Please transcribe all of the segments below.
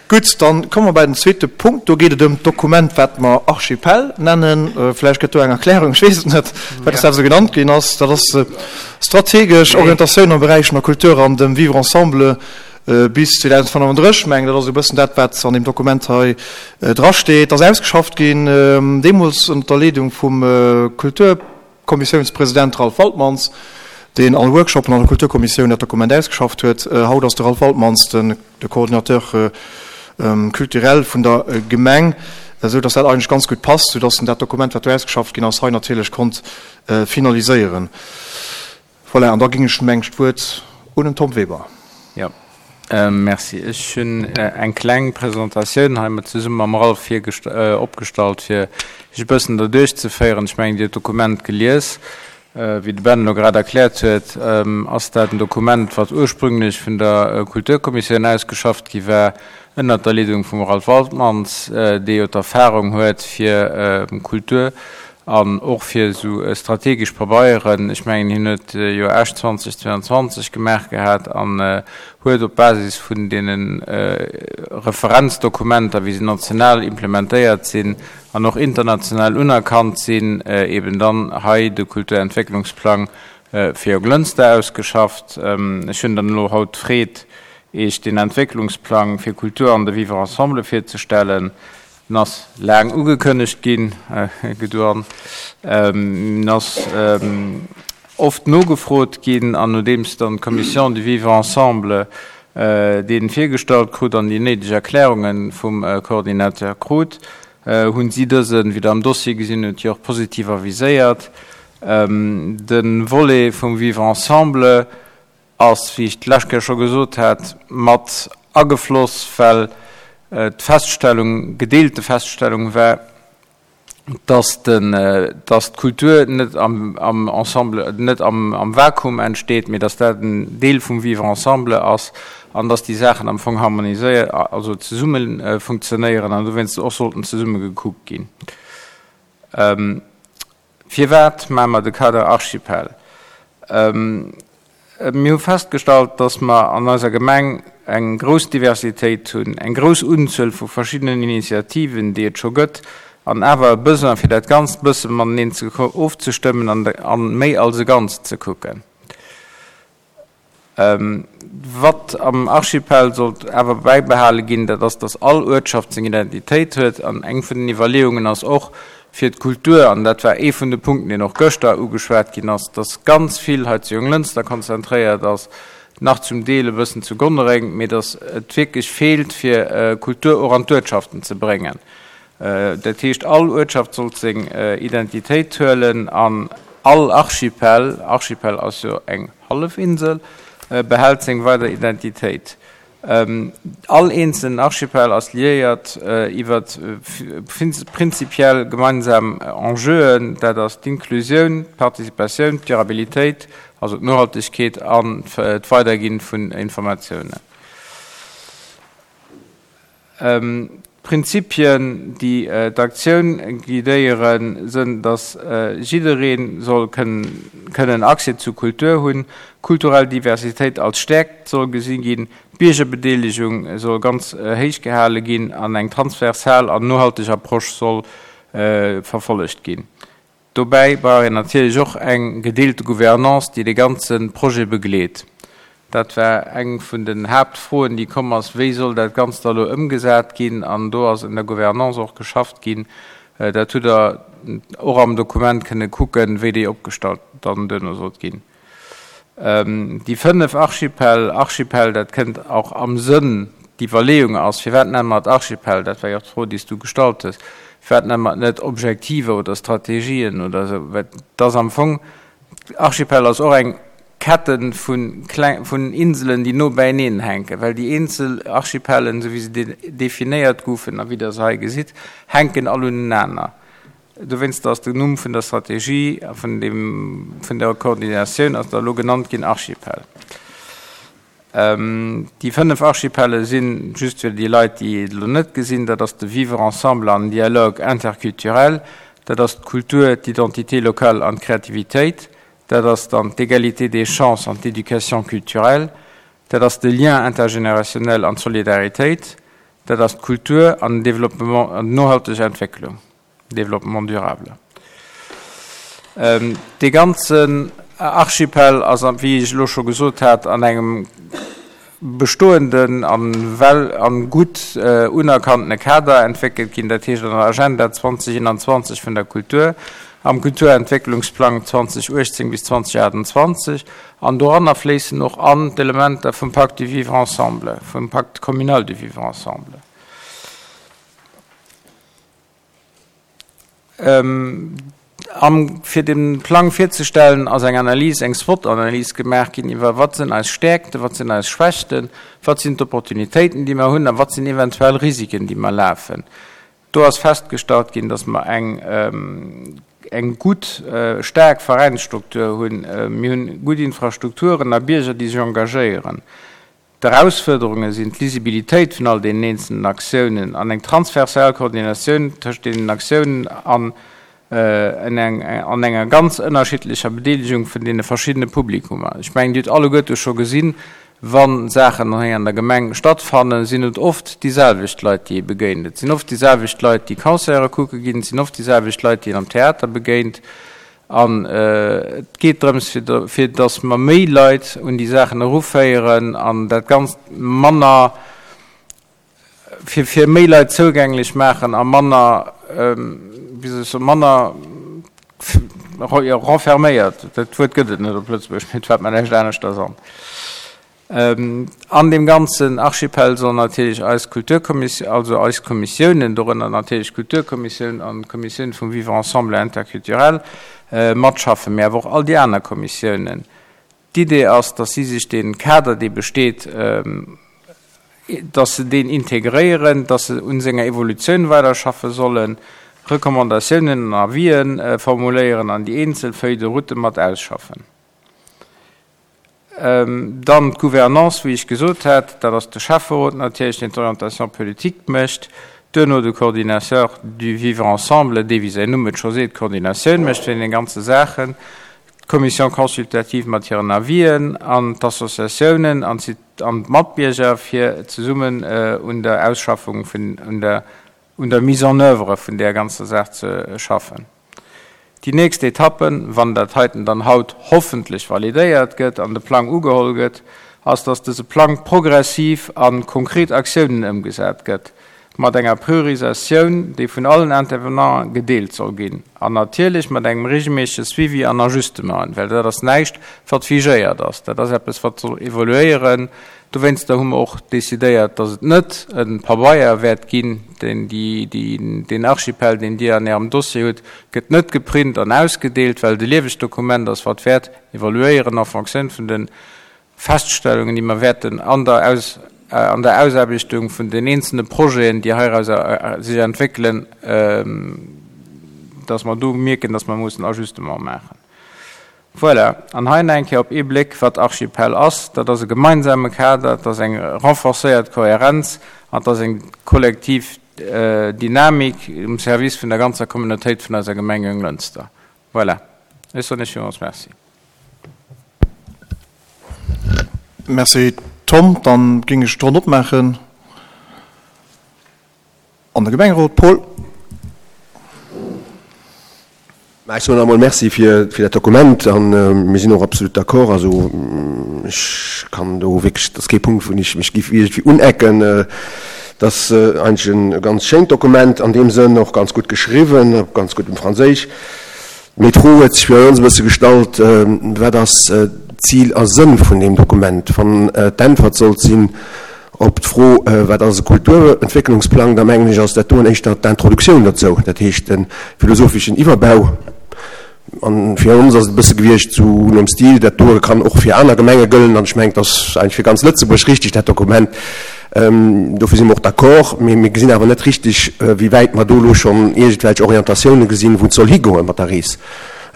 Gutt, dann komme mer bei den zweete Punkt. Do geet et ëm d'Dokument, wat mer Archipel nennen. Vläicht gëtt do eng Erklärung, ech weess et net, wat dat esou genannt ginn ass. Dat ass strategesch Orientatioun am Beräich vun der Kultur an dem Vivre ensemble bis 2035. Ech mengen, dat ass esou e bëssen dat, wat an deem Dokument hei drasteet. Dat ass ausgeschafft ginn deemools ënnert der Leedung vum Kultur. Kommissiounspresident Ralph Waltmans, deen all Workshopen an der Kulturkommissioun dat Dokument ausgeschafft huet. Haut ass de Ralph Waltmans den de Coordinateur culturel vun der Gemeng, esou dass dat eigentlech ganz gutt passt, sou dass en dat Dokument, wat do ausgeschafft ginn ass, hei natierlech konnt finaliséieren. Voilà, an da géing ech mengen d'Wuert un den Tom Weber. Jo, merci. Ech hunn eng kleng Presentatioun hei mat zesumme mam Ralph opgestallt, fir Iech e bëssen derduerch ze féieren. Ech mengen, Dir hutt d'Dokument gelies. Wéi de Ben elo grad erkläert huet, ass dat en Dokument, wat ursprünglech vun der Kulturkommissioun ausgeschafft gi war, ënnert der Leedung vum Ralph Waltmans, dee jo d'Erfahrung huet fir Kultur An och fir esou strategesch Pabeieren, ech mengen, hien huet jo Esch 2022 gemaach gehat an huet op Basis vun deene Referenzdokumenter, wéi se national implementéiert sinn an och international unerkannt sinn, eben dann hei de Kulturentwécklungsplang fir Jonglënster ausgeschafft. Ech hunn dann elo haut d'Freed, Iech deen Entwécklungsplang fir Kultur an de Vivre ensemble virzestellen. En ass laang ugekënnegt ginn, geduan. En ass oft nogefrot ginn an nodeems dann d'Commission du Vivre ensemble dee virgestallt krut an déi néideg Erklärunge vum Coordinateur krut, hunn si dësen, wéi Der am Dossier gesinn hutt, jo och positiv aviséiert. De Volet vum Vivre ensemble ass, wéi ech d'lescht Kéier scho gesot hat, mat agefloss, well d'Feststellung, gedeelte Feststellung war, dass den, dass d'Kultur net am, am Ensemble, net am, am Vakuum entsteet, mee dass dat en Deel vum Vivre ensemble ass an dass déi Saachen am Fong harmoniséiert, also zesumme funktionéieren an dowéinst och sollten zesumme gekuckt ginn. Firwat maache mer de Kader Archipel? Mir hu festgestallt, dass mer an eiser Gemeng eng grouss Diversitéit hunn, eng grouss Unzuel vu verschiddenen Initiativen, déi et scho gëtt, an awer e Besoin, fir dat Ganzt e bësse mateneen ofzestëmmen an méi als e Ganzt ze kucken. Wat am Archipel sollt awer bäibehale ginn, dat ass, datt all Uertschaft seng Identitéit huet. An eng vun den Iwwerleeungen ass och, fir d'Kultur, an dat war ee vun de Punkten, deen och gëschter ugeschwat ginn ass, datt ganz vill hei zu Jonglënster konzentréiert ass, nach zum Deel e bëssen zu Gonnereng, mee datt et wierklech feelt, fir Kultur och an d'Uertschaften ze bréngen. Dat heescht, all Uertschaft sollt seng Identitéit huelen an all Archipel, Archipel ass jo eng Hallefinsel, behält seng weider Identitéit. All eenzelen Archipel ass liéiert iwwer prinzipiell gemeinsam Enjeuen, dat ass d'Inklusioun, d'Participatioun, d'Durabilitéit, also d'Nohaltegkeet an d'Weiderginn vun Informatiounen. D'Prinzipien, déi d'Aktioun guidéieren, sënn, datt jidderee soll kënnen Accès zu Kultur hunn, kulturell Diversitéit als Stäerkt soll gesi ginn, d'Biergerbedeelegung soll ganz héich gehale ginn an eng transversal an nohalteg Approche soll verfollegt ginn. Dobäi brauch een natierlech och eng gedeelte Gouvernance, déi de ganze Projet begleet. Dat war eng vun den Haaptfroen, déi komm ass, Wéi soll dat Ganzt da elo ëmgesat ginn? An do ass un der Gouvernance och geschafft ginn. Dat hutt Der och am Dokument kënne kucken, wéi déi opgestallt dann duerno sollt ginn. Déi 5 Archipel, Archipel, dat kënnt och am Sënn, d'Iwwerleeung ass, firwat nenne mer et Archipel, dat war jo och d'Fro, déi s du gestallt hues, firwat nenne mer et net Objektiver oder Strategien oder esou, well et ass am Fong, Archipel ass och eng Kette vu kleng, vun Inselen, déi no beieneen hänken, well déi eenzel Archipellen, esou wéi se definéiert goufen a wéi Der se hei gesitt, hänken all unenaner. Dowéinster ass den Numm vun der Strategie a vun dem, vun der Koordinatioun ass da elo genannt ginn Archipel. Déi 5 Archipelle sinn, just fir déi Leit, déi et elo net gesinn, dat ass de Vivre ensemble an dialogue interculturel, dat ass d'Kultur, d'Identité locale an d'Kreativitéit, dat ass dann d'Égalité des chances an d'Éducation culturelle, dat ass de Lien intergénérationnel an d'Solidaritéit. Dat ass d'Kultur an den Développement, an d'nohalteg Entwécklung, Développement durable. Dee ganzen Archipel ass, wéi ech elo scho gesot hat, an engem bestoenden a well a gutt unerkanntene Kader entwéckelt ginn, dat heescht an der Agenda 2021 vun der Kultur, am Kulturentwécklungsplang 2018 bis 2028, an doranner fléissen och an d'Elementer vum Pacte du vivre ensemble, vum Pacte communal du vivre ensemble. Am fir de Plang virzestellen, ass eng Analys, eng SWOT-Analys gemaach ginn iwwer wat sinn eis Stäerkten, wat sinn eis Schwächten, wat sinn d'Opportunitéiten, déi mer hunn a wat sinn eventuell Risiken, déi mer lafen. Do ass festgestallt ginn, dass mer eng eng gutt, staark Veräinsstruktur hunn. Mir hunn gutt Infrastrukturen a Bierger, déi sech engagéieren. D'Erausfuerderunge sinn d'Lisibilitéit vun all deenen eenzelnen Aktiounen an eng transversal Koordinatioun tëscht deenen Aktiounen an an enger ganz ënnerschiddlecher Bedeelegung vun deene verschiddene Publikummer. Ech mengen, Dir hutt alleguerte scho gesinn, wa Saachen hei an der Gemeng stattfannen, sinn et oft déi selwecht Leit, déi ee begéint. Et sinn oft déi selwecht Leit, déi Concerte kucke ginn, et sinn oft déi selwecht Leit, déi een am Theater begéint. An et geet drëms, fir datt mer méi Leit un déi Saachen eruféieren an dat Ganzt manner, fir fir méi Leit zougänglech maachen a manner, wéi soll ech soen, manner renferméiert, dat Wuert gëtt et net op Lëtzebuergesch, mee et fält mer näischt aneschters an. An deem ganzen Archipel sollen natierlech eis Kulturkommissioun, also eis Kommissiounen, dorënner natierlech d'Kulturkommissioun an d'Kommissioun vum Vivre ensemble interculturel, matschaffen, mee awer och all déi aner Kommissiounen. D'Idee ass, dass si sech dee Kader, dee besteet, dass se deen integréieren, dass se un senger Evolutioun weiderschaffe sollen, Recommandatiounen an Avisen formuléieren an déi eenzel Feuilles de route mat ausschaffen. Dann d'Gouvernance, wéi ech gesot hat, dat ass de Schäfferot natierlech, deen d'Orientation politique mécht, duerno de Coordinateur du vivre ensemble, dee, wéi säin Numm et scho seet, d'Koordinatioun mécht vun deene ganze Saachen, d'Commission consultative mat hiren Avisen an d'Associatiounen an d'Matbierger, fir zesummen un der Ausschaffung vun, un der, un der Mise en oeuvre vun där ganzer Saach ze schaffen. Déi nächst Etappen, wann dat heiten dann haut hoffentlech validéiert gëtt an de Plang ugeholl gëtt, ass, dass dëse Plang progressiv a konkret Aktiounen ëmgesat gëtt, mat enger Priorisatioun, déi vun allen Intervenanten gedeelt soll ginn, an natierlech mat engem regelméissege Suivi an Ajustementen, well dat ass näischt, wat figéiert ass, dat ass eppes, wat soll evoluéieren. Dowéinster hu mer och decidéiert, dass et net e Pabeier wäert ginn, deen deen Archipel, deen Dir an Ärem Dossier hutt, gëtt net geprint an ausgedeelt, well et e liewegt Dokument ass, wat wäert evoluéieren en Fonctioun vun de Feststellungen, déi mer wäerten an der an der Ausaarbechtung vun den eenzelne Projeten, déi heirauser sech entwéckelen, dass mer do mierken, dass mer mussen Ajustement maachen. Voilà, an hei nach eng Kéier op ee Bléck, wat Archipel ass. Dat ass e gemeinsame Kader, et ass eng renforcéiert Kohärenz an et ass eng kollektiv Dynamik um Service vun der ganzer Communautéit vun eiser Gemeng Jonglënster. Voilà, ech soen Iech villmools Merci. Merci Tom. Dann géing ech d'Ronn opmaachen. An de Gemengerot Paul. Mä ech soen nach emol Merci fir dat Dokument a mir sinn och absolut d'accord. Also ech kann do wierklech, dat ass kee Punkt, wou ech mech géif iergendwéi unecken. Et ass eigentlech e ganz schéint Dokument an deem Sënn, och ganz gutt geschriwwen, op ganz guddem Franséisch. Mee d'Fro huet sech fir ons e bësse gestallt, Wat ass Zil a Sënn vun deem Dokument? Wann d'Äntwert sollt sinn op d'Fro, Wat ass e Kulturentwécklungsplang?, da mengen ech, ass dat doen éischter d'Introduktioun dozou, dat heescht de philosopheschen Iwwerbau. A fir ons ass et e bësse gewiescht sou nom Stil, dat doe kann och fir aner Gemenge gëllen. An ech mengen, et ass eigentlech fir ganz Lëtzebuerg richtig, dat Dokument. Dofir si mer och d'accord. Mee mir gesinn awer net richtig, wéi wäit mer do elo schonn iergendwelch Orientatiounen gesinn, wou et soll higoe mat der Rees.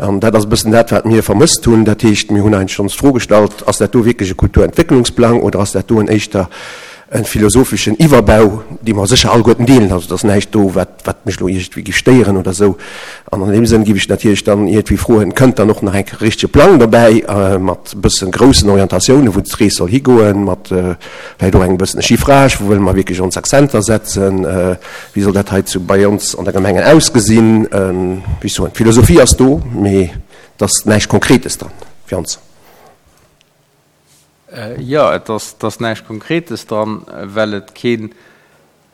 An dat ass e bëssen dat, wat mir vermësst hunn. Dat heescht, mir hunn eigentlech ons d'Fro gestallt, Ass dat do wierklech e Kulturentwécklungsplang oder ass dat doen éischter. e philosopheschen Iwwerbau, dee mer sécher alleguerten deelen. Also et ass näischt do, wat, wat mech elo iergendwéi géif stéieren oder esou. An an deem Sënn géif ech natierlech dann iergendwéi froen, Kënnt dann och nach eng richtege Plang dobäi mat e bësse groussen Orientatiounen, wou d'Rees soll higoen, mat vläicht och engem bëssen e Chiffrage, wou wëlle mer wierklech ons Akzenter setzen, wéi soll dat hei zu bei ons an der Gemenge ausgesinn? Wéi ech soen, d'Philosophie ass do, mee et ass näischt Konkretes dran fir ons. Jo, et ass, et ass näischt Konkretes dran, well et keen,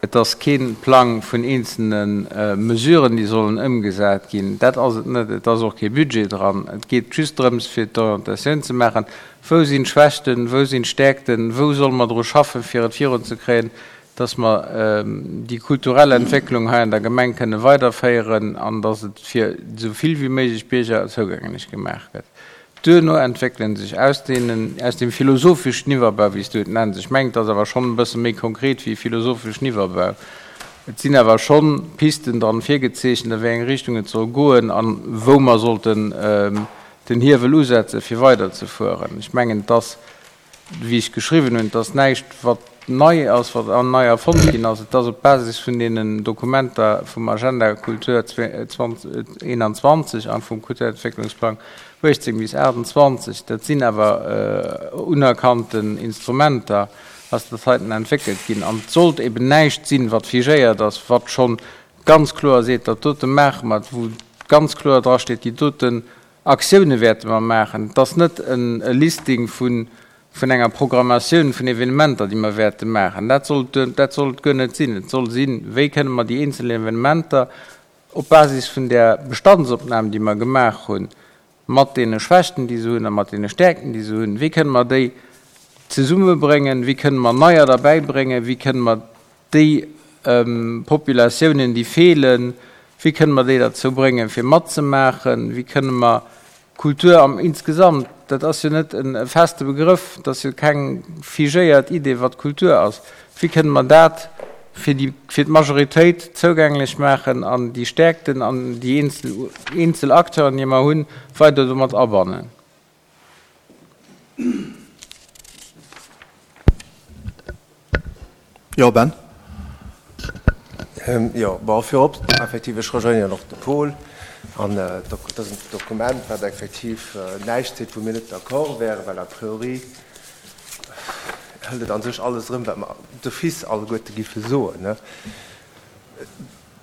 et ass kee Plang vun eenzelne Mesuren, déi sollen ëmgesat ginn. Dat ass et net. Et ass och kee Budget dran. Et geet just drëms, fir d'Orientatioun ze maachen, Wou sinn d'Schwächten, wou sinn d'Stäerkten, wou solle mer dru schaffen, fir et virunzekréien, dass mer déi kulturell Entwécklung hei an der Gemeng kënne weiderféieren an dass et fir esou vill wéi méiglech Bierger zougänglech gemaach gëtt. Duerno entwéckele sech aus deenen, aus deem philosopheschen Iwwerbau, wéi s du et nenns, ech mengen, et ass awer schonn e bësse méi konkret wéi e philosopheschen Iwwerbau, et sinn awer schonn Pisten dran virgezeechent, a wéi eng Richtung et soll goen a wou mer sollten den Hiewel usetzen, fir weiderzefueren. Ech mengen, et ass wéi ech geschriwwen hunn, et ass näischt, wat nei ass, wat nei erfonnt ginn ass. Et ass op Basis vun deenen Dokumenter vum Agenda Kultur 2021 a vum Kulturentwécklungsplang 18 bis 28, dat sinn awer unerkannten Instrumenter, ass dat heiten entwéckelt ginn. An et sollt eben näischt sinn, wat figéiert ass, wat scho ganz kloer seet, dat dote maache mer, wou ganz kloer drasteet, déi doten Aktioune wäerte mer maachen. Et ass net e Listing vun enger Programmatioun vun Evenementer, déi mer wäerte maachen. Dat soll dat soll et guer net sinn. Et soll sinn, wéi kënne mer déi eenzel Evenementer op Basis vun där Bestandsopnam, déi mer gemaach hunn, mat deene Schwächten, déi se hunn, a mat deene Stäerkten, déi se hunn, wéi kënne mer déi zesummebréngen, wéi kënne mer neier derbäibréngen, wéi kënne mer déi Populatiounen, déi feelen, wéi kënne mer déi derzou bréngen, fir matzemaachen, wéi kënne mer Kultur am insgesamt, dat ass jo net e feste Begrëff, dat ass jo keng figéiert Idee, wat Kultur ass, wéi kënne mer dat fir déi, fir d'Majoritéit zougänglech maachen an déi Stäerkten an déi eenzel, eenzel Acteuren, déi mer hunn, weider domat abannen. Jo, Ben? Jo, bon, virop, effektiv, ech rejoignéieren och de Paul. An dat ass en Dokument, wat effektiv näischt seet, wou mir net d'accord wären, well a priori hëlt et a sech alles erëm, wat mer d'office alleguerte géife soen.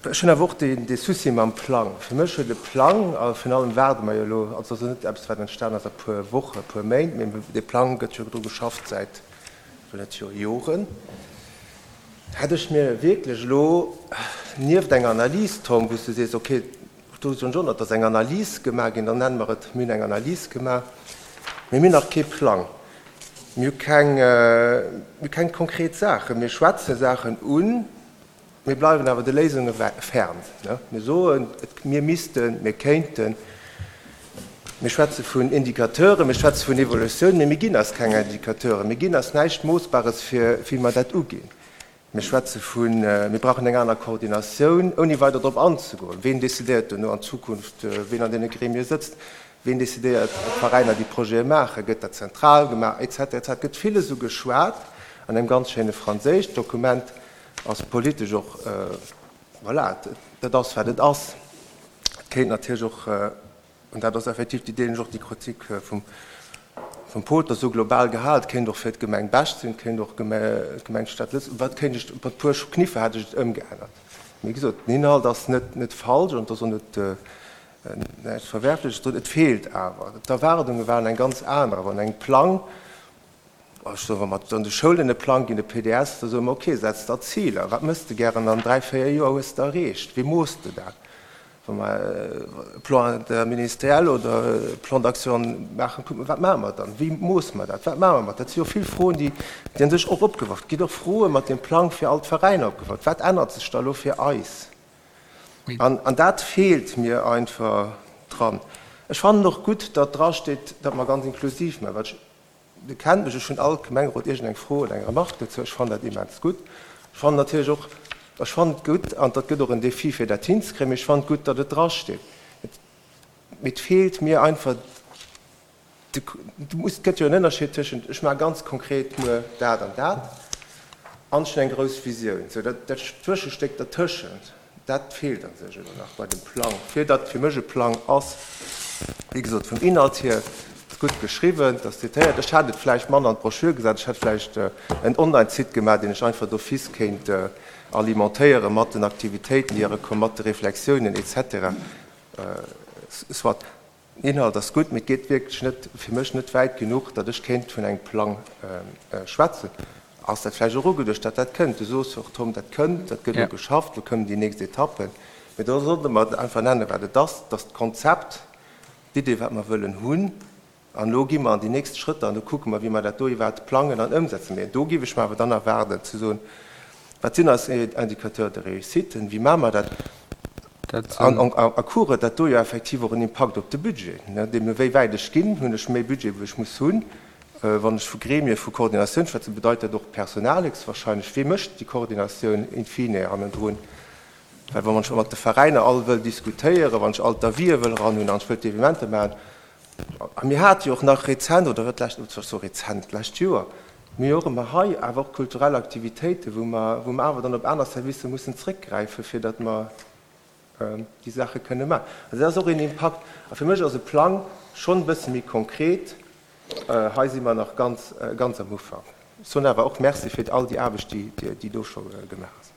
Ech hunn awer och dee Souci mam Plang. Fir mech huet e Plang, a virun allem waarde mer jo elo, also et ass jo net eppes, wat entstan ass a puer Wochen, e puer Méint, mee dee Plang gëtt jo dru geschafft säit, ech wëll net soe Joren. Hätt ech mir wierklech elo nieft enger Analys, Tom, wou s du sees, okay, do soen ech och nach, et ass eng Analys gemaach ginn, dann nenne mer et, mir hunn eng Analys gemaach, mee mir hunn nach kee Plang, mir hu keng, mir hu keng konkret Saachen, mir schwätze Saachen un, Mir bleiwen awer de Léisunge fern. Mir soen, mir missten, mir kéinten. Mir schwätze vun Indicateuren, mir schwätze vun Evolutioun, mee mir ginn eis keng Indicateuren, mir ginn eis näischt Moossbares, fir wéi mer dat uginn. Mir schwätze vun, mir brauchen eng aner Koordinatioun, ouni weider drop anzegoen, ween decidéiert duerno an Zukunft, ween an deene Gremie sëtzt, ween decidéiert, ob d'Veräiner déi Projete maachen, gëtt dat zentral gemaach, et cetera, et cetera. Et gëtt villes ugeschwat an engem ganz schéine Franséisch. D'Dokument ass politesch och, voilà, dat ass wat et ass. Et kéint natierlech och, an dat ass effektiv, déi deelen ech och déi Kritik vum vum Paul, et ass esou global gehal, et kéint och fir d'Gemeng Bech sinn, et kéint och d'Gemeng Stad Lëtzebuerg, wat kéint ech, mat e puer Kniffer hätt ech et ëmgeännert. Mee wéi gesot, den Inhalt ass net net falsch an et ass och net näischt Verwerfleches drun. Et feelt awer, d'Erwaardunge waren eng ganz aner, wann engem Plang, Ech soen, wa mer an de Schoulen e Plang ginn, e PDS, da soe mer, okay, setz der Ziler, wat mëss de gären an dräi, véier Joer hues de erreecht, wéi mooss de dat? Wa mer e Plan interministériel oder e Plan d'action maachen, kucke mer, wat maache mer dann, wéi moosse mer dat, wat maache mer mat? Dat si jo vill Froen, déi déi a sech och opgeworf ginn. Et ginn och Froe mat deem Plang fir all d'Veräiner opgeworf. Wat ännert sech da elo fir eis? An, an dat feelt mir einfach dran. Ech fannen och gutt, datt drasteet, datt mer ganz inklusiv maachen, well ech, Dir kennt mech, ech hunn all Gemengerot iergendeng Fro oder eng Remarque dozou. Ech fannen dat immens gutt. Ech fannen natierlech och, ech fannen et gutt, an dat gëtt och en Défi fir dat hinzekréien, mee ech fannen et gutt, datt et drasteet. Mee et feelt mir einfach de, du muss, et gëtt jo en Ënnerscheed tëschent, ech maache ganz konkret muer dat an dat. An ech hunn eng grouss Visioun. Sou, dat, dat Zwëschestéck dertëschent, dat feelt a sech elo nach bei dem Plang, fir datt fir mech e Plang ass, wéi gesot, vum Inhalt hier gutt geschriwwen, et ass detailléiert. Ech hätt et vläicht manner an d'Broschür gesat, ech hätt vläicht en Online-Site gemaach, deen ech einfach d'office kéint alimentéiere mat den Aktivitéiten, déi erekommen, mat de Reflexiounen et cetera. Soit. Den Inhalt ass gutt, mee et geet wierklech net, fir mech net wäit genuch, datt ech kéint vun engem Plang schwätzen. Ass dat vläicht och ugeduecht, datt dat kënnt? Du soos jo och, Tom, dat kënnt, dat gëtt elo geschafft, elo kommen déi nächst Etappen. Mee da sollte mer einfach nennen, wat et ass, dass d'Konzept, d'Idee, wat mer wëllen hunn, an elo gi mer an déi nächst Schrëtter an do kucke mer, wéi mer dat do iwwerhaapt plangen an ëmsetzen. Mee do géif ech mer awer dann erwaarden ze soen, Wat sinn eis Indicateurs de réussite? Wéi maache mer dat? An à court huet dat do jo effektiv och en Impakt op de Budget. Deemno wéi wäit ech ginn, hunn ech méi Budget, wou ech muss hunn. Wann ech vu Gremie vu Koordinatioun schwätzen, bedeit dat och Personal héchstwahrscheinlech. Wee mécht déi Koordinatioun in fine hannendrun? Well wann ech mat de Veräiner all wëll diskutéieren, wann ech all d'Avisë wëll eranhunn an ech wëll d'Evenementer maachen, A mir hate jo och nach rezent, oder wat d'lescht, ech soe rezent, d'lescht Joer, mir jo och ëmmer hei awer och kulturell Aktivitéiten, wou mer, wou mer awer dann op aner Servicer mussen zrëckgräifen, fir datt mer déi Saache kënne maachen. Also dat ass och een Impakt. A fir mech ass e Plang schonn e bësse méi konkret. Hei si mer nach ganz, ganz am Ufank. Ech soen awer och Merci fir all déi Aarbecht, déi, déi do scho gemaach ass.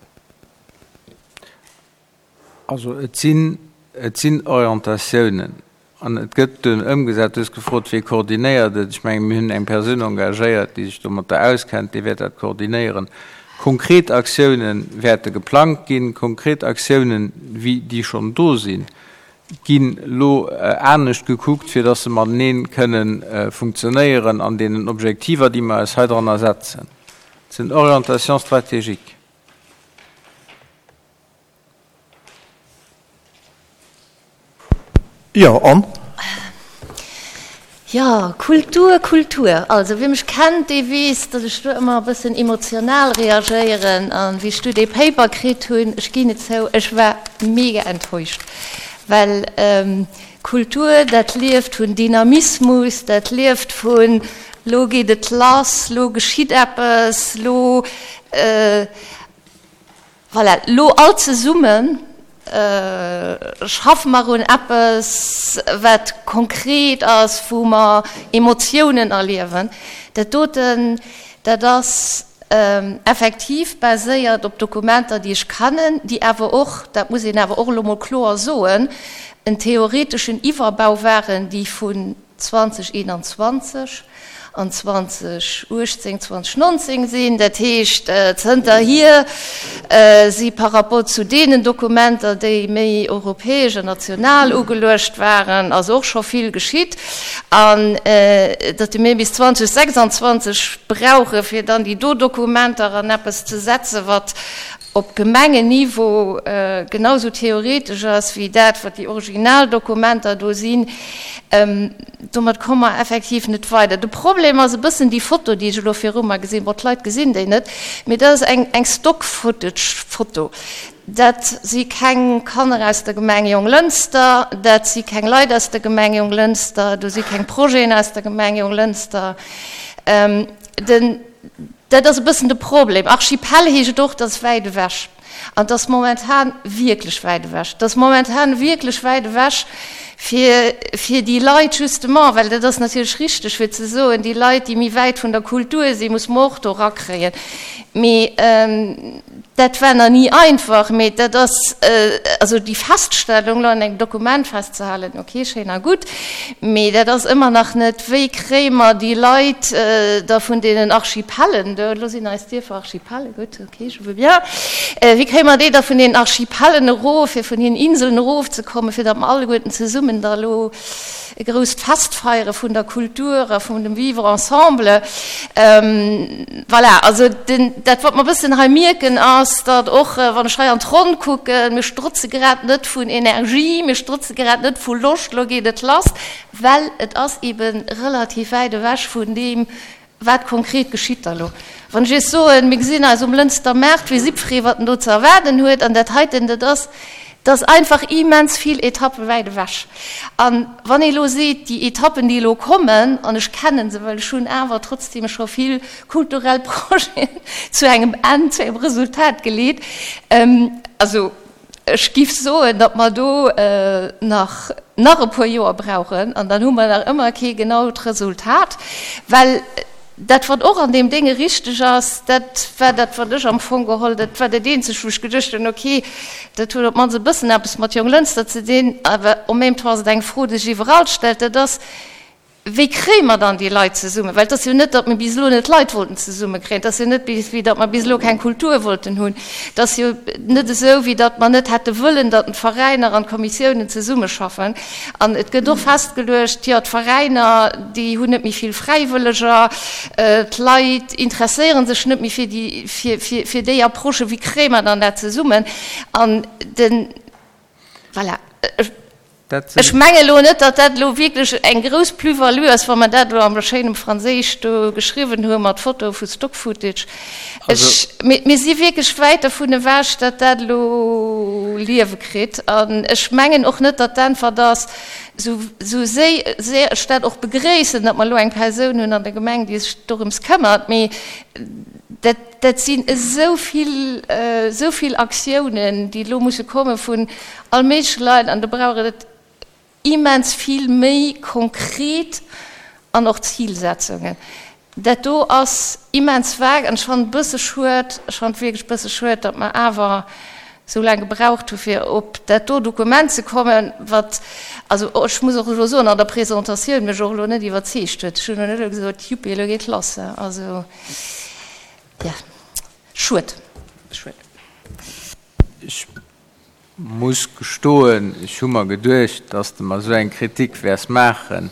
Also et sinn, et sinn Orientatiounen an et gëtt dunn ëmgesat. Du hues gefrot, wie koordinéiert et. Ech mengen, mir hunn eng Persoun engagéiert, déi sech domatter auskennt, déi wäert dat koordinéieren. Konkret Aktiounen wäerte geplangt ginn, konkret Aktiounen, wéi déi schonn do sinn, ginn elo anescht gekuckt, fir dass se matenee kënnen funktionéieren an deenen Objektiver, déi mer eis heidranner setzen. Et sinn Orientations stratégiques. Jo, an? Jo, Kultur, Kultur. Also, wie mech kennt, dee weess, datt ech do ëmmer e bëssen emotional reagéieren. An wéi ech du dee Paper kritt hunn, ech ginn et zou, ech war mega enttäuscht, well Kultur, dat lieft vun Dynamismus, dat lieft vun lo geet et lass, lo geschitt eppes, lo. Voilà, lo all zesumme schaffe mer un eppes, wat konkret ass, wou mer Emotiounen erliewen. Dat doten, dat ass effektiv baséiert op Dokumenter, déi ech kennen, déi awer och, dat muss een awer och elo mol kloer soen, en theoreteschen Iwwerbau waren, déi vun 2021 an 2018, 2019 sinn. Dat heescht, zënterhier si par rapport zu deenen Dokumenter, déi méi europäesch an national ugeluecht waren, ass och scho vill geschitt. An datt mir bis 2026 brauche fir dann déi do Dokumenter an eppes ze setzen, wat op Gemengenniveau genau sou theoretesch ass wéi dat, wat déi original Dokumenter do sinn, domat komme mer effektiv net weider. De Problem ass e bëssen déi Foto, déi ech elo viru mer gesinn, bon, d'Leit gesinn déi net, mee dat ass eng, eng Stock-Footage-Foto. Dat si keng Kanner aus der Gemeng Jonglënster, dat si keng Leit aus der Gemeng Jonglënster, do si keng Projeten aus der Gemeng Jonglënster. Den. Dat ass e bëssen de Problem. Archipel heescht och, dat ass wäit ewech. An et ass momentan wierklech wäit ewech. Et ass momentan wierklech wäit ewech fir, fir déi Leit justement, well dat ass natierlech richteg, fir ze soen, déi Leit, déi méi wäit vun der Kultur sinn, muss mer och do erakréien. Mee Dat war nach ni einfach, mee dat ass, also déi Feststellung elo an engem Dokument festzehalen, okay, schéin a gutt, mee dat ass ëmmer nach net, wéi kréie mer déi Leit da vun deenen Archipellen do, elo sinn eis Dierfer Archipelle, gutt, okay, je veux bien, wéi kréie mer déi da vun deenen Archipellen erof, fir vun hiren Inseln erofzekommen, fir datt mer alleguerten zesummen da elo e grousst Fest feiere vun der Kultur a vun dem Vivre ensemble. Voilà, also den, dat wat mer e bëssen hei mierken ass, datt och wann ech hei an d'Ronn kucken, mir strotze grad net vun Energie, mir strotze grad net vu Loscht, elo geet et lass, well et ass eebe relativ wäit ewech vun deem, Wat konkret geschitt da lo? Wann ech Iech soen, mir gesinn eis um Lënster Maart, weess jiddweree, wat en do ze erwaarden huet. An dat heiten, dat ass. Dat ass einfach immens vill Etappe wäit ewech. A wann ee elo seet, déi Etappen, déi elo kommen, an ech kenne se, well ech hunn awer trotzdeem scho vill kulturell Projeten zu engem Enn, zu engem Resultat geleet, also ech giff soen, datt mer do nach nach e puer Joer brauchen an dann hu mer nach ëmmer kee genaut Resultat, well dat, wat och an deem Dénge richteg ass, dat war dat, wat ech am Fong geholl, dat war dat eenzegt, wou ech geduecht hunn, okay, dat huet op d'mannst e bëssen eppes mat Jonglënster ze dinn, awer en même temps ass et eng Fro, déi sech iwwerall stellt, dat ass, Wéi kréie mer dann déi Leit zesummen? Well et ass jo net, datt mir bis elo net Leit wollten zesummekréien. Et ass jo net, wéi datt mer bis elo keng Kultur wollten hunn. Et ass jo net esou, wéi datt mer net hätte wëllen, datt d'Veräiner an d'Kommissiounen zesummeschaffen. An et gëtt och festgeluecht, jo, d'Veräiner, déi hunn net méi vill Fräiwëlleger, d'Leit interesséiere sech net méi fir déi, fir, fir, fir déi Approche. Wéi kréie mer dann dat zesummen? An den, voilà, ech. Ech menge elo net, datt dat elo wierklech eng grouss Plus-value ass, wa mer dat elo am schéinem Franséisch do geschriwwen hu mat Fotoe vu Stock-Footage. Ech, mir si wierklech wäit dervun ewech, datt dat elo Liewe kritt. An ech mengen och net, datt d'Äntwert ass, esou, esou séier ech dat och begréissen, datt mer elo eng Persoun hunn an der Gemeng, déi sech dorëms këmmert, mee dat, dat sinn esou vill, esou vill Aktiounen, déi elo musse komme vun all méigleche Leit an do brauch et immens vill méi konkret an och Zilsetzungen. Dat do ass immens vague an ech fannen et e bësse schued, ech fannen et wierklech e bësse schued, datt mer awer esou laang gebraucht hu fir op dat do Dokument ze kommen, wat, also ech muss och elo soen, an der Presentatioun mech och elo net iwwerzeegt huet. Ech hunn elo net elo gesot, Juppi, elo geet lass. Also, jo, schued, schued. Ech muss gestoen, ech hu mer geduecht, dass de mer esou eng Kritik wäers maachen,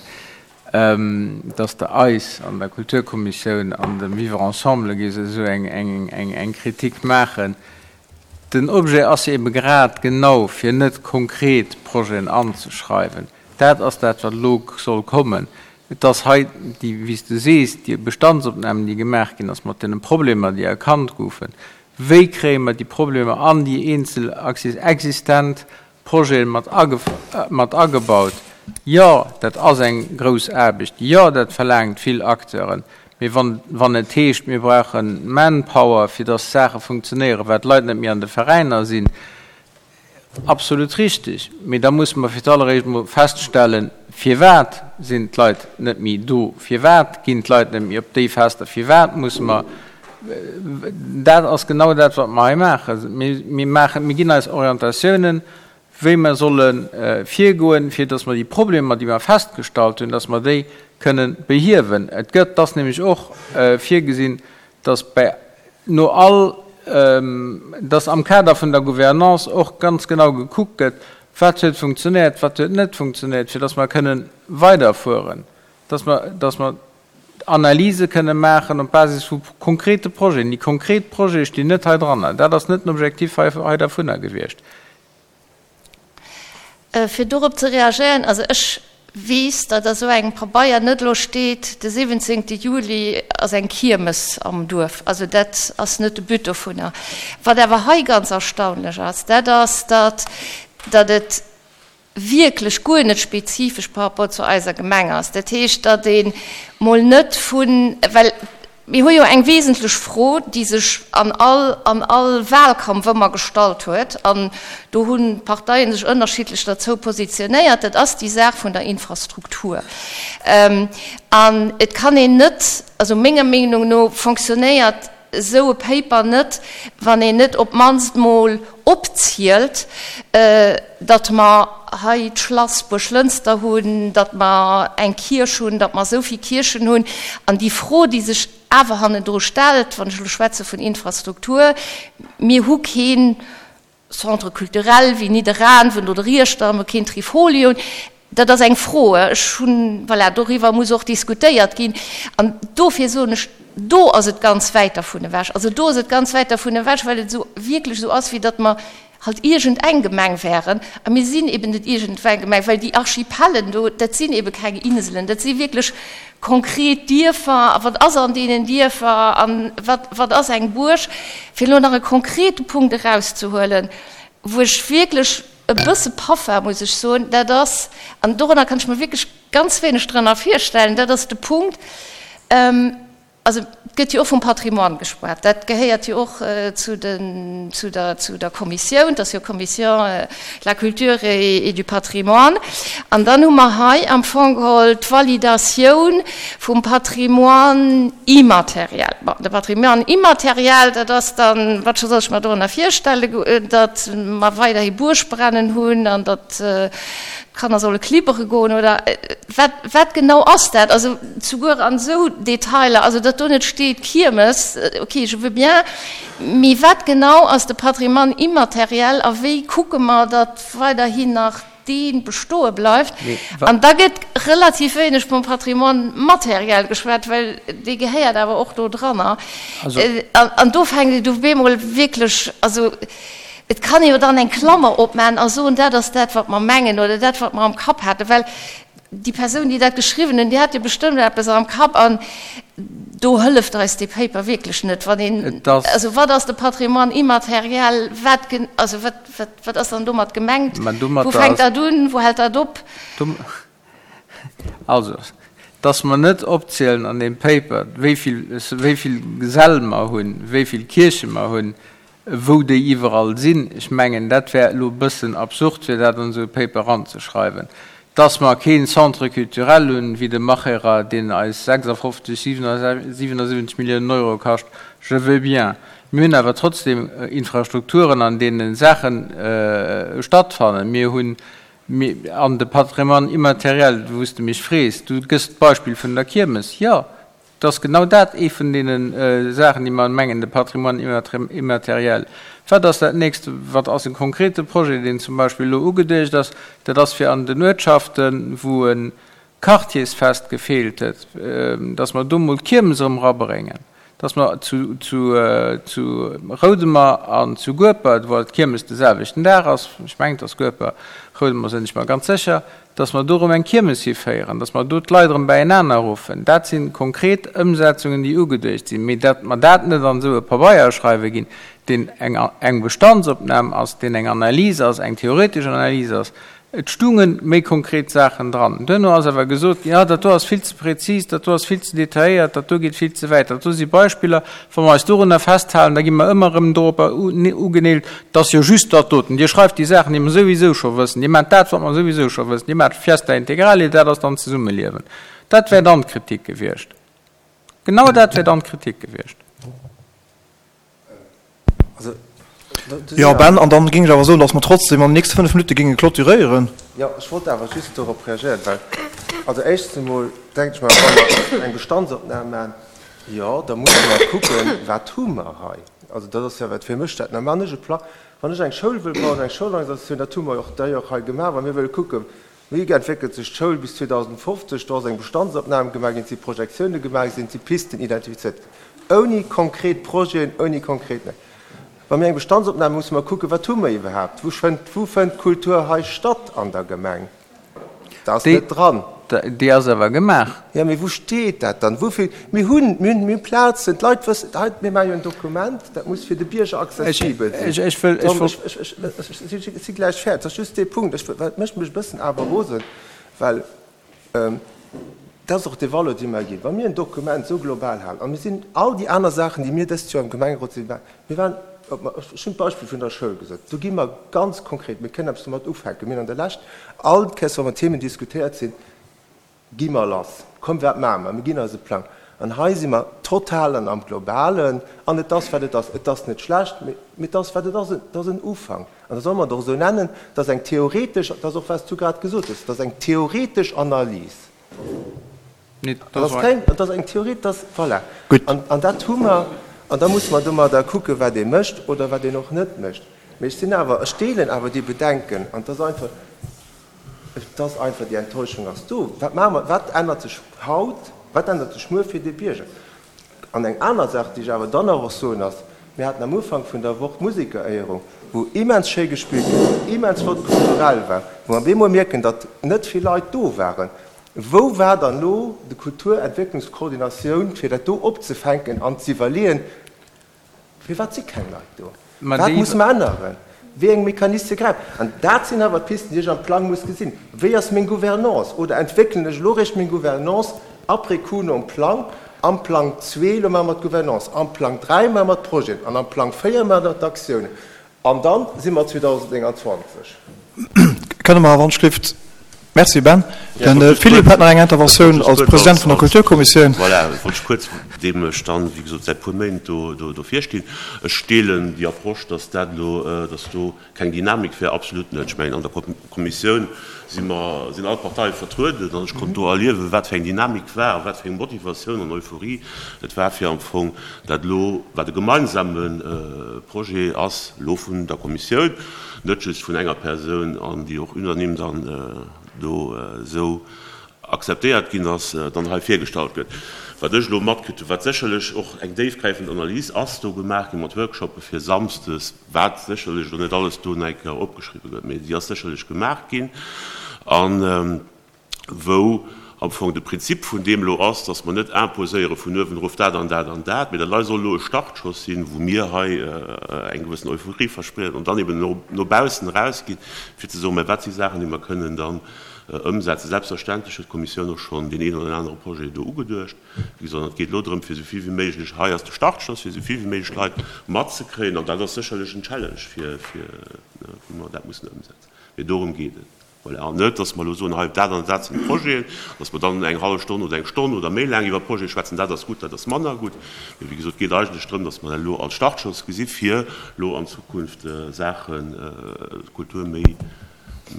dass de eis an der Kulturkommissioun an dem Vivre ensemble géifs esou eng Kritik maachen. Den Objet ass jo ebe grad genau, fir net konkret Projeten anzeschreiwen. Dat ass dat, wat elo soll kommen. Et ass hei déi, wéi s de sees, déi Bestandsopnahm, déi gemaach ginn ass mat deene Problemer, déi erkannt goufen. Wéi kréie mer déi Problemer an déi eenzel existent Projete mat agebaut? Jo, dat ass eng grouss Aarbecht. Jo, dat verlaangt vill Acteuren. Mee wann et heescht, mir brauche Manpower, fir dass d'Saache funktionéieren, well d'Leit net méi an de Veräiner sinn, Absolut richtig. Mee da musse mer fir d'alleréischt emol feststellen, Firwat sinn d'Leit net méi do? Firwat ginn d'Leit net méi op déi Fester? Firwat musse mer. Dat ass genau dat, wat mer hei maachen. Mir maachen, mir ginn eis Orientatiounen, wéi mer solle virgoen, fir dass mer déi Problemer, déi mer festgestallt hunn, dass mer déi kënnen behiewen. Et gëtt, et ass nämlech och virgesinn, dass bäi no all, dass am Kader vun der Gouvernance och ganz genau gekuckt gëtt, wat huet funktionéiert, wat huet net funktionéiert, fir dass mer kënnen weiderfueren, dass mer, dass mer Analyse kënnen maachen op Basis vu konkrete Projeten. Déi konkret Projete stinn net hei dran. Dat ass net den Objektiv hei, hei dervunner gewiescht. Fir dorop ze reagéieren, also ech weess, datt a sou engem Pabeier net elo steet, de 17 Juli ass eng Kiermes am Duerf. Also dat ass net de But dovunner. Wat awer hei ganz erstaunlech ass, dat ass, datt datt et wierklech guer net spezifesch par rapport zu eiser Gemeng ass. Dat heescht, datt ee mol net vun, well Mir hu jo eng wesentlech Fro, déi sech an all, an all Wahlkampf ëmmer gestallt huet, an do hunn d'Parteien sech ënnerschiddlech derzou positionéiert, dat ass déi Saach vun der Infrastruktur. An et kann een net, also menger Meenung no fonctionnéiert esou e Paper net, wann een net op d'mannst mol opzielt, datt mer hei d'Schlass Buerglënster hunn, datt mer eng Kierch hunn, datt mer esou vill Kierchen hunn. An déi Fro, déi sech awer hannendru stellt, wann ech elo schwätze vun Infrastruktur, Mir hu kee Centre culturel wéi Nidderaanwen oder Iechternach, mir hu keen Trifolion. Dat ass eng Fro. Ech hunn, voilà, doriwwer muss och diskutéiert ginn. An dofir soen ech, do ass et ganz wäit dervun ewech. Also do ass et ganz wäit dervun ewech, well et esou wierklech esou ass, wéi datt mer halt iergendeng Gemeng wären. A mir sinn eben net iergendeng Gemeng, well déi Archipellen do, dat sinn ebe keng Inselen, dat si wierklech konkret Dierfer. A wat ass an deenen Dierfer a wat, wat ass eng Buerg? Fir elo nach e konkrete Punkt erauszehuelen, wou ech wierklech. e bësse paff war, muss ech soen, dat ass, an dorënner kann ech mer wierklech ganz wéineg drënner virstellen, dat ass de Punkt, Also et gëtt jo och vum Patrimoine geschwat. Dat gehéiert jo och zu den, zu der, zu der Kommissioun. Dat ass jo Commission de la culture et du patrimoine. An dann hu mer hei am Fong geholl d'Validatioun vum Patrimoine immatériel. Bon, de Patrimoine immatériel, dat ass dann, wat soll ech mer dorënner virstellen, datt mer weiderhi Buergbrennen hunn an datt d'Kanner solle klibbere goen oder wat, wat genau ass dat? Also Souguer an esou Detailer, also datt do net steet Kiermes, ok, je veux bien, mee wat genau ass de Patrimoine immatériel a wéi kucke mer, datt weiderhin nach dee bestoe bleift? An da gëtt relativ wéineg vum Patrimoine matériel geschwat, well dee gehéiert awer och do dranner. An do fänkt et op eemol wierklech, also et kann ee jo dann eng Klammer opmachen a soen, dat ass dat, wat mer mengen oder dat, wat mer am Kapp haten, well Déi Persoun, déi dat geschriwwen hunn, déi hat jo bestëmmt eppes am Kapp an do hëlleft eis dee Paper wierklech net. Wann een, also wat ass de Patrimoine immatériel, wat, also wat, wat, wat ass dann domat gemengt? Wou fänkt dat un, wou hält dat op? Also, dass mer net opzielen an deem Paper, wéi vill, wéi vill Säll mer hunn, wéi vill Kierche mer hunn, Wou déi iwwerall sinn, ech mengen, dat wär elo e bëssen absurd, fir dat an esou e Paper eranzeschreiwen. Dass mer kee Centre culturel hunn, wéi de Macherer, deen eis 56, 77 Milliounen Euro kascht, je veux bien. Mir hunn awer trotzdem Infrastrukturen, an deene Saache stattfannen. Mir hunn, an de Patrimoine immatériel, wou s de mech frees, du gëss d'Beispill vun der Kiermes, jo, Et ass genau dat ee vun deene Saachen, déi mer mengen, de Patrimoine immatériel. Wat ass dat nächst? Wat ass e konkrete Projet, deen zum Beispill elo ugeduecht ass? Dat ass fir an den Uertschaften, wou e Quartiersfest gefeelt huet, dass mer do emol d'Kiermes erëm erabréngen, dass mer zu Roudemer an zu Guepert, wou alt d'Kiermes de selwechten Dag ass, ech mengen et ass Gueper, Roudemer sinn ech mer ganz sécher, dass mer do erëm eng Kiermes hiféieren, dass mer do d'Leit erëm bäienaner ruffen, dat si konkret Ëmsetzungen, déi ugeduecht sinn. Mee datt mer dat net an esou e Pabeier schreiwe ginn, deen eng eng Bestandsopnam ass, deen eng Analys ass, eng theoretesch Analys ass, et stunge méi konkret Saachen dran. Duerno ass awer gesot ginn, ah, dat do ass vill ze prezis, dat do ass vill ze detailléiert, dat do geet vill ze wäit. Dat do si Beispiller, wa mer eis dorunner festhalen, da gi mer ëmmer erëm doropper ugeneelt, 't ass jo just dat doten. Dir schreift déi Saachen, déi mer souwisou scho wëssen. Dir maacht dat, wat mer souwisou scho wëssen. Dir maacht Fiesta Integrale, dat ass dann Zesummeliewen. Dat wär dann d'Kritik gewiescht. Genau dat wär dann d'Kritik gewiescht. Jo, Ben, an dann géing ech awer soen, dass mer trotzdem an den nächste 5 Minutte géinge clôturéieren. Jo, ech wollt awer just dorop reagéieren, well, also éischtens emol denken ech mer, wa mer eng Bestandsopnam maachen, jo, da musse mer kucken, wat hu mer hei. Also dat ass jo wat fir mech dat normal. Wann ech e Plang, wann ech eng Schoul wëll bauen, eng Schoulorganisatioun, dat hu mer jo och d'ailleurs hei gemaach, wa mir wëlle kucken, wéi entwéckelt sech d'Schoul bis 2050, do ass eng Bestandsopnam gemaach ginn, et si Projektioune gemaach ginn, et si Pisten identifizéiert ginn, ouni konkret Projeten, ouni konkret. Wa mir eng Bestandsopnam, musse mer kucken, wat hu mer iwwerhaapt, wou fënnt, wou fënnt d'Kultur hei statt an der Gemeng? Dat ass net dran. Déi ass awer gemaach. Jo, mee wou steet dat dann? Wouvill? Mir hunn, mir hunn, mir hunn Plazen, d'Leit wëssen, hei, mir maache jo en Dokument, dat muss fir de Bierger accessibel sinn. Ech wëll, ech wëll. Ech, ech, ech, ech si gläich fäerdeg. Dat ass just dee Punkt. Ech, dat mécht mech e bëssen awer rosen, well dat ass och dee Valeur, dee mer ginn. Wa mir en Dokument esou global halen, a mir sinn all déi aner Saachen, déi mir dëst Joer am Gemengerot sinn, mir waren, Ech hunn d'Beispill vun der Schoul gesot. Do gi mer ganz konkret, mir kënnen eppes domat ufänken. Mir hunn an der Lescht all Kéiers, wa mer Themen diskutéiert sinn, gi mer lass, komm wat maache mer, mir ginn eis e Plang. An hei si mer total an am Globalen an et ass wat et ass. Et ass net schlecht, mee et ass wat et ass, et ass en Ufank. An da solle mer et och esou nennen, et ass eng theoretesch, dat ass och wat s du grad gesot hues, et ass eng theoretesch Analys. Dat ass keng, dat ass eng Theorie, dat ass, voilà. Gutt. An, an dat hu mer, an da musse mer domadder kucken, wat ee mécht oder wat een och net mécht. Mee ech sinn awer, ech deelen awer déi Bedenken, an et ass einfach, et ass einfach, déi Enttäuschung ass do. Wat maache mer, wat ännert sech haut, wat ännert sech muer fir de Bierger? An eng aner Saach, déi ech awer dann nach och soen, ass, Mir haten am Ufank vun der Woch d'Musekeréierung, wou immens schéi gespillt ginn ass, wou immens flott kulturell war, wou mer op eemol mierken, datt net vill Leit do waren. Wou war dann elo de Kulturentwécklungskoordinatioun, fir dat do opzefänken an z'iwwerleeën, Firwat si keng Leit do? Wat musse mer änneren? Wéi eng Mechaniste gräifen? An dat sinn awer d'Pisten, déi ech am Plang muss gesinn. Wéi ass meng Gouvernance? Oder entwéckelen ech elo eréischt meng Gouvernance après coup nom Plang? Am Plang zwee, elo maache mer d'Gouvernance, am Plang dräi maache mer d'Projeten an am Plang véier maache mer d'Aktiounen. An da si mer 2029. Kënne mer awer anschrift. Merci Ben. De Philippe hätt nach eng Interventioun als President vun der Kulturkommissioun. Voilà, wollt ech kuerz, deem ech dann, wéi gesot, säit puer Méint do do virstinn. Ech deelen déi Approche, dass dat elo, dass do keng Dynamik wär, absolut net. Ech mengen, an der Kommissioun si mer, sinn all d'Parteie vertrueden an ech konnt do erliewen, wat fir eng Dynamik war a wat fir eng Motivatioun an Euphorie et war, fir am Fong dat elo, wat e gemeinsame Projet ass, elo vun der Kommissioun, net just vun enger Persoun an déi och unanime dann do esou akzeptéiert ginn ass, dann hei virgestallt gëtt. Wat ech elo matkritt hunn, wat sécherlech och eng déifgräifend Analys ass do gemaach gi mat Workshoppe fir samsdes, wat sécherlech elo net alles do nach eng Kéier opgeschriwwen gëtt, mee déi ass sécherlech gemaach ginn an wou am Fong de Prinzip vun deem elo ass, dass mer net imposéiere vun uewen erof dat an dat an dat, mee dat hei soll elo e Startschoss sinn, wou mir hei eng gewëssen Euphorie versprieden an dann eben no baussen erausginn, fir ze soen, mä wat si Saachen, déi mer kënnen dann ëmsetzen. Selbstverständlech huet d'Kommissioun och schonn deen een oder deen anere Projet do ugeduecht. Wéi gesot, an et geet elo drëm, fir esou vill wéi méiglech, hei ass de Startschoss, fir esou vill wéi méiglech Leit matzekréien an dat ass sécherlech en Challenge, fir, wou mer dat mussen ëmsetzen. Mee dorëm geet et. Voilà, an net, dass mer elo soen, hei, dat an dat sinn d'Projeten, dass mer dann eng hallef Stonn oder eng Stonn oder méi laang iwwer Projete schwätzen, dat ass gutt, dat ass manner gutt. Mee wéi gesot, et geet eigentlech drëm, dass mer dat elo als Startschoss gesi fir elo an Zukunft Saachen, d'Kultur méi,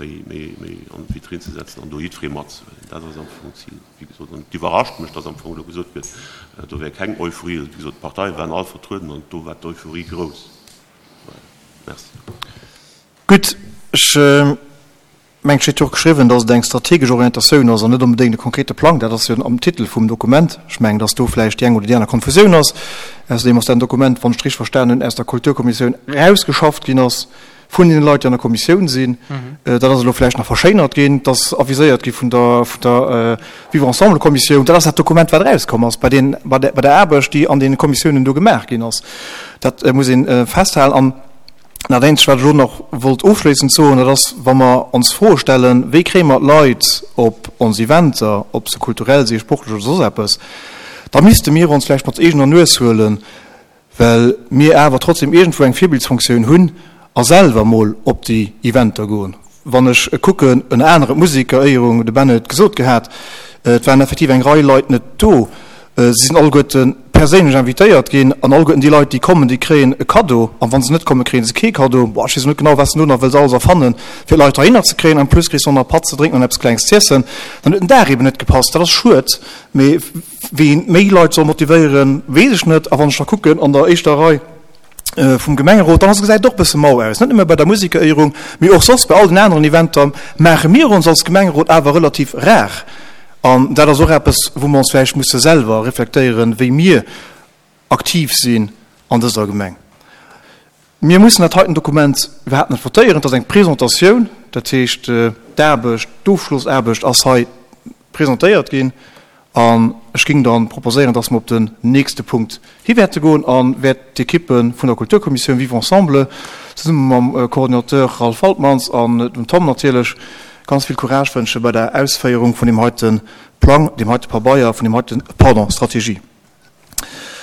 méi, méi, méi an d'Vitrinn ze setzen an do jiddweree matzehuelen. Dat ass am Fong d'Zil, wéi gesot. An et iwwerrascht mech, dass am Fong elo gesot gëtt, do wär keng Euphorie. Wéi gesot, d'Parteie waren all vertrueden an do war d'Euphorie grouss. Voilà. Merci. Gutt, ech mengen, et steet jo och geschriwwen, datt et eng strategesch Orientatioun ass an net onbedéngt e konkrete Plang. Dat ass jo am Titel vum Dokument. Ech mengen, datt do vläicht déi eng oder déi aner Konfusioun ass. Ausserdeem ass dat en Dokument, wann ech et richteg verstanen hunn, aus der Kulturkommissioun erausgeschafft ginn ass vun deene Leit, déi an der Kommissioun sinn. Dat ass elo vläicht nach verschéinert ginn. Et ass aviséiert gi vun der, vun der Vivre-ensemble-Kommissioun. Dat ass dat Dokument, wat erauskomm ass bei den, bei der, bei der Aarbecht, déi an deene Kommissiounen do gemaach ginn ass. Dat muss ee festhalen. An Dat eenzegt, wat ech elo nach wollt ofschléissend soen, dat ass, wa mer ons Froe stellen, Wéi kréie mer d'Leit op ons Eventer, ob se kulturell si, sportlech oder soss eppes, da misste mir ons vläicht mat eegener Nues huelen, well mir awer trotzdem iergendwou eng Virbildsfunktioun hunn a selwer mol op déi Eventer goen. Wann ech kucken, ënner anerem d'Musekeréierung, de Ben huet et gesot gehat, et waren effektiv eng Rei Leit net do. Si sinn alleguerte perséinlech invitéiert ginn an alleguerten déi Leit, déi kommen, déi kréien e Kaddo. An wa se net kommen, kréie se kee Kaddo. Boah, ech weess elo net genau, wat s de do nach wëlls alles erfannen, fir d'Leit heihinner ze kréien. En plus kriss de och nach e Patt ze drénken an eppes Klengs z'iessen. Dann huet den Dag eeben net gepasst. Dat ass schued. Mee wéi een méi Leit soll motivéieren, weess ech net. A wann ech da kucken an der éischter Rei, vum Gemengerot, dann ass gesäit et och e bësse mau aus. Net nëmme bei der Musekeréierung, mee och soss bei all den aneren Eventer maache mir ons als Gemengerot awer relativ rar. An dat ass och eppes, wou mer ons vläicht musse selwer reflektéieren, wéi mir aktiv sinn an dëser Gemeng. Mir mussen dat heiten Dokument iwwerhaapt net votéieren. Et ass eng Presentatioun, dat heescht d'Aarbecht, d'Ofschlossaarbecht ass hei presentéiert ginn. An ech géing dann proposéieren, dass mer op den nächste Punkt hi wäerte goen a wäert d'Ekippe vun der Kulturkommissioun Vivre ensemble zesumme mam Coordinateur Ralph Waltmans an dem Tom natierlech ganz vill Courage wënsche bei der Ausféierung vun deem heite Plang, deem heite Pabeier, vun deem heiten, pardon, Strategie.